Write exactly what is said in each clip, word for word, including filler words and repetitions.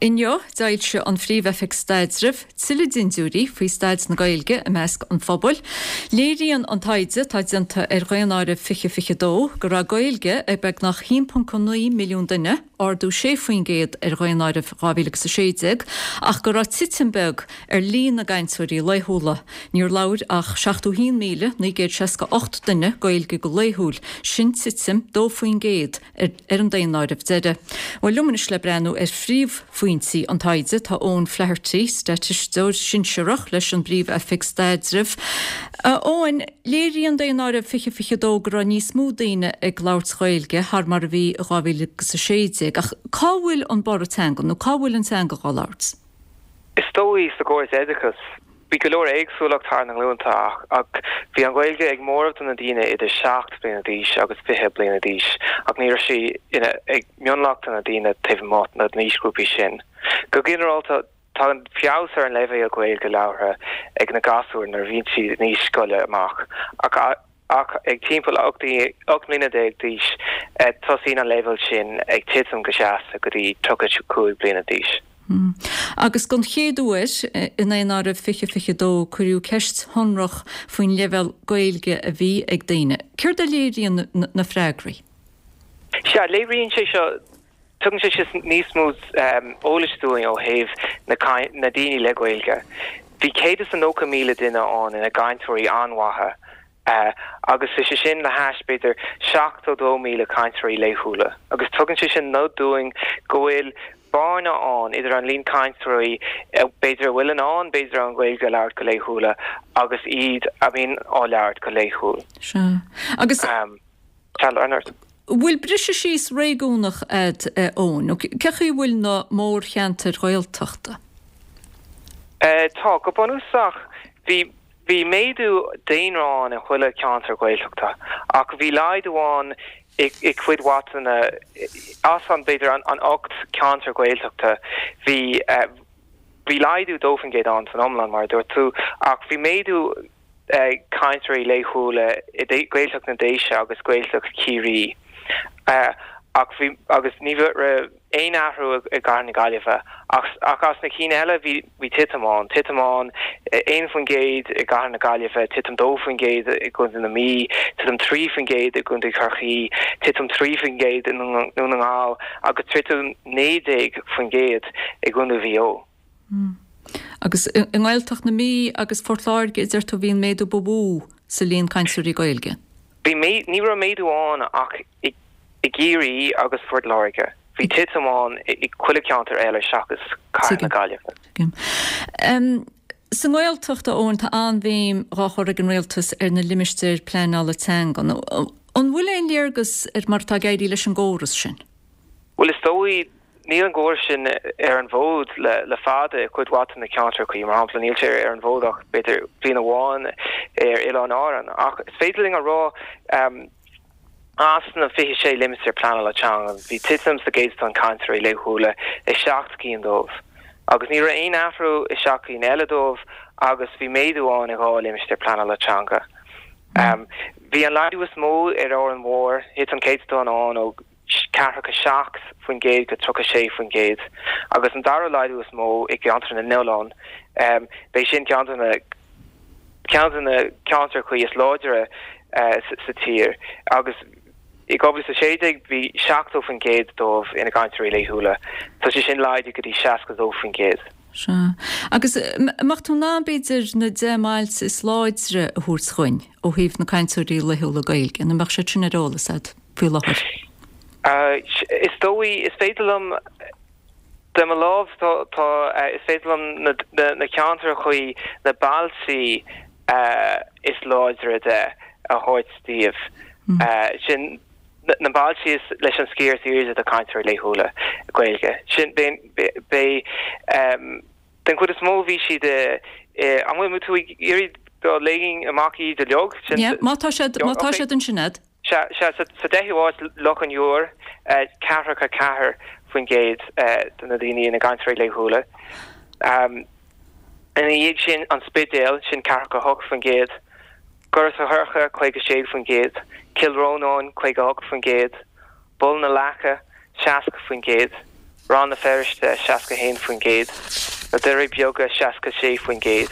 Inniu, d'fhoilsigh an Phríomh-Oifig Staidrimh tuilleadh dintiúirí faoi staid na Gaeilge i measc an phobail. Léiríonn an taighde atá déanta ar Dhaonáireamh fiche fiche dó go raibh Gaeilge ag beagnach haon ponc naoi milliún duine, ardú sé faoin gcéad ar Dhaonáireamh dhá mhíle agus a sé déag, ach go raibh titim beag ar líon na gcainteoirí laethúla. Níor labhair ach seachtó haon míle naoi gcéad seasca ocht duine Gaeilge go laethúil, sin titim dó faoin gcéad ar an daonáireamh deiridh. Bhuel, liom anois le breathnú ar phríomhphointí an taighde tá Eoin Flaherty, staitisteoir sinsearach leis an bPríomh-Oifig Staidrimh. Eoin, léiríonn daonáireamh fiche fiche dó go raibh níos mó daoine ag labhairt Gaeilge thar mar a bhí i dhá mhíle agus a sé déag, ach cá bhfuil an borradh teanga nó cá bhfuil an teanga dhá labhairt? Is dóigh sa gcóras oideachais. Bhí go leor éagsúlacht thar na nglúnta ach bhí an Ghaeilge ag móramh de na daoine idir seacht bliana d'aois agus fiche bliana d'aois ach ní raibh sí ina ag mionlach de na daoine taobh amuigh na n-aoisghrúpaí sin. Go ginearálta, tagann feabhas ar an leibhéal Gaeilge labhartha ag na gasúir nuair a bhíonn siad in aois scoile amach ach ach ag timpeall ocht mbliana déag d'aois tosaíonn an leibhéal sin ag titim go seasta go dtí tríocha cúig bliana d'aois. Agus don chéad uair i nDaonáireamh fiche fiche dó cuireadh ceist shonrach faoin leibhéal Gaeilge a bhí ag daoine. Céard a léiríonn na freagraí? Sea, léiríonn sé seo, tugann sé seo níos mó eolais dúinn ó thaobh na na daoine le Gaeilge. Bhí céad is a nócha míle duine ann ina gcainteoirí an-mhaithe agus is é sin le hais b'fhéidir seachtó dó míle cainteoirí laethúla. Agus tugann sé sin nod dúinn go bhfuil bearna ann idir an líon cainteoirí b'fhéidir a bhfuil in ann b'fhéidir an Ghaeilge a labhairt go laethúla agus iad a bhíonn á labhairt go laethúil. Sea. Agus bhfuil briseadh síos réigiúnach a'd, Eoin? Nó cé chaoi a bhfuil na mórcheantair Ghaeltachta? Tá. Go bunúsach, bhí Bhí méadú daonra ann i chuile cheantar Gaeltachta ach bhí laghdú ann i gcuid mhaith de na, as an, b'fhéidir an ocht ceantar Gaeltachta, bhí, bhí laghdú dó faoin gcéad ann san iomlán mar a dúirt tú ach bhí méadú cainteoirí laethúla i Gaeltacht na nDéise agus Gaeltacht Chiarraí ach bhí, agus ní raibh. aon athrú i gcathair na Gaillimhe ach ach as na cinn eile bhí bhí titim ann, titim ann aon faoin gcéad i gcathair na Gaillimhe, titim dó faoin gcéad i gContae na Mí, titim trí faoin gcéad i gContae Chorcaí, titim trí faoin gcéad i nDún na nGall agus titim naoi déag faoin gcéad i gContae Mhaigh Eo. Agus i nGaeltacht na Mí agus Phort Láirge a deir tú a bhí an méadú ba mhó sa líon cainteoirí Gaeilge? Bhí, ní raibh méadú ann ach i i gCiarraí agus Phort Láirge. Bhí titim ann i chuile cheantar eile seachas cathair na Gaillimhe. Tuigim. Sa nGaeltacht, a Eoin, tá an-bhéim dhá chur ag an Rialtas ar na limistéir pleanála teanga. An bhfuil aon léargas ar mar atá ag éirí leis an gcóras sin? Bhuel, is dóigh, níl an gcóras sin ar an bhfód le le fada i gcuid mhaith de na ceantracha. Mar shampla, níl sé ar an bhfód ach b'fhéidir bliain amháin ar Oileáin Árann. Ach is féidir linn a rá, As na fiche sé limistéar pleanála teanga, bhí titim sa gcéatadán cainteoirí laethúla i seacht gcinn dóibh, agus ní raibh aon athrú i seacht gcinn eile dóibh agus bhí méadú ann i dhá limistéar pleanála teanga. Bhí an laghdú is mó ar Árainn Mhór, thit an céatadán ann ó ceathracha seacht faoin gcéad go tríocha sé faoin gcéad, agus an dara laghdú is mó i gCeantar na nOileán, b'é sin ceann de na. ceann de na ceantracha is láidre sa tír agus i dhá mhíle is a sé déag bhí seachtó faoin gcéad dóibh ina gcainteoirí laethúla. Tá sé sin laghdaithe go dtí seasca dó faoin gcéad. Sea. Agus an mbeadh tú in ann, b'fhéidir, na deich mbailte is láidre a thabhairt dhuinn ó thaobh na cainteoirí laethúla Gaeilge, an mbeadh siad sin ar eolas agat faoi láthair? Is dóigh, is féidir liom. De mo lámh, tá, is féidir liom na ceantracha, na bailtí is láidre de a thabhairt daoibh. Sin na bailtí is leis an sciar is airde de cainteoirí laethúla Gaeilge. Sin, beidh, den chuid is mó bhí siad i, an bhfuil tú ag iarraidh go léifinn amach iad uilig? Yeah, má tá siad, má tá siad ansin a'd. Sea, sea, sa deichiú háit, Loch an Iúir, ceathracha ceathair faoin gcéad de na daoine ina gcainteoirí laethúla. Ina dhiaidh sin, An Spidéal, sin ceathracha hocht faoin gcéad, Gort a' Choirce, caoga sé faoin gcéad, Cill Rónáin, caoga hocht faoin gcéad, Bun na Leaca, seasca faoin gcéad, Rann na Feirste seasca haon faoin gcéad, na Doirí Beaga seasca sé faoin gcéad,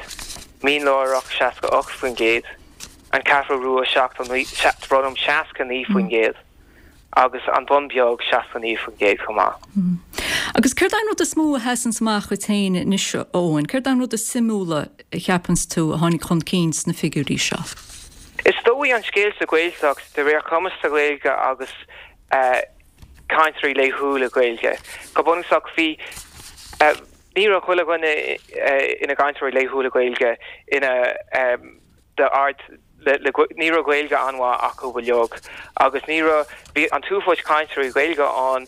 Mín Lárach seasca ocht faoin gcéad, An Cheathrú Rua seachtó naoi, seasca naoi faoin gcéad agus An Bun Beag seasca naoi faoin gcéad chomh maith. Agus céard é an rud is mó a sheasanns amach dhuit féin anois, a Eoin? Céard é an rud is suimiúla a cheapanns tú a tháinig chun cinn sna figiúirí seo? Is dóigh an scéal sa Ghaeltacht de réir cumas sa Ghaeilge agus cainteoirí laethúla Gaeilge. Go bunúsach bhí ní raibh chuile dhuine ina gcainteoirí laethúla Gaeilge ina d'ard ní raibh Gaeilge an-mhaith acu uilig agus ní raibh bhí an t-uafás cainteoirí Gaeilge ann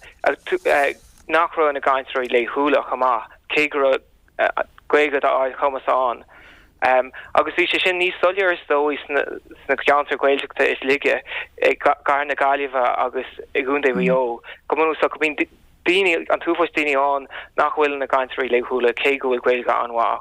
nach raibh ina gcainteoirí laethúla chomh maith, cé go raibh Gaeilge d'ardchumas ann. Agus bhí sé sin níos soiléire is dóigh sna ceantair Ghaeltachta is laige, i gcathair na Gaillimhe agus i gContae Mhaigh Eo. Go bunúsach, bíonn daoine, an t-uafás daoine ann nach bhfuil ina gcainteoirí laethúla cé go bhfuil Gaeilge an-mhaith acu.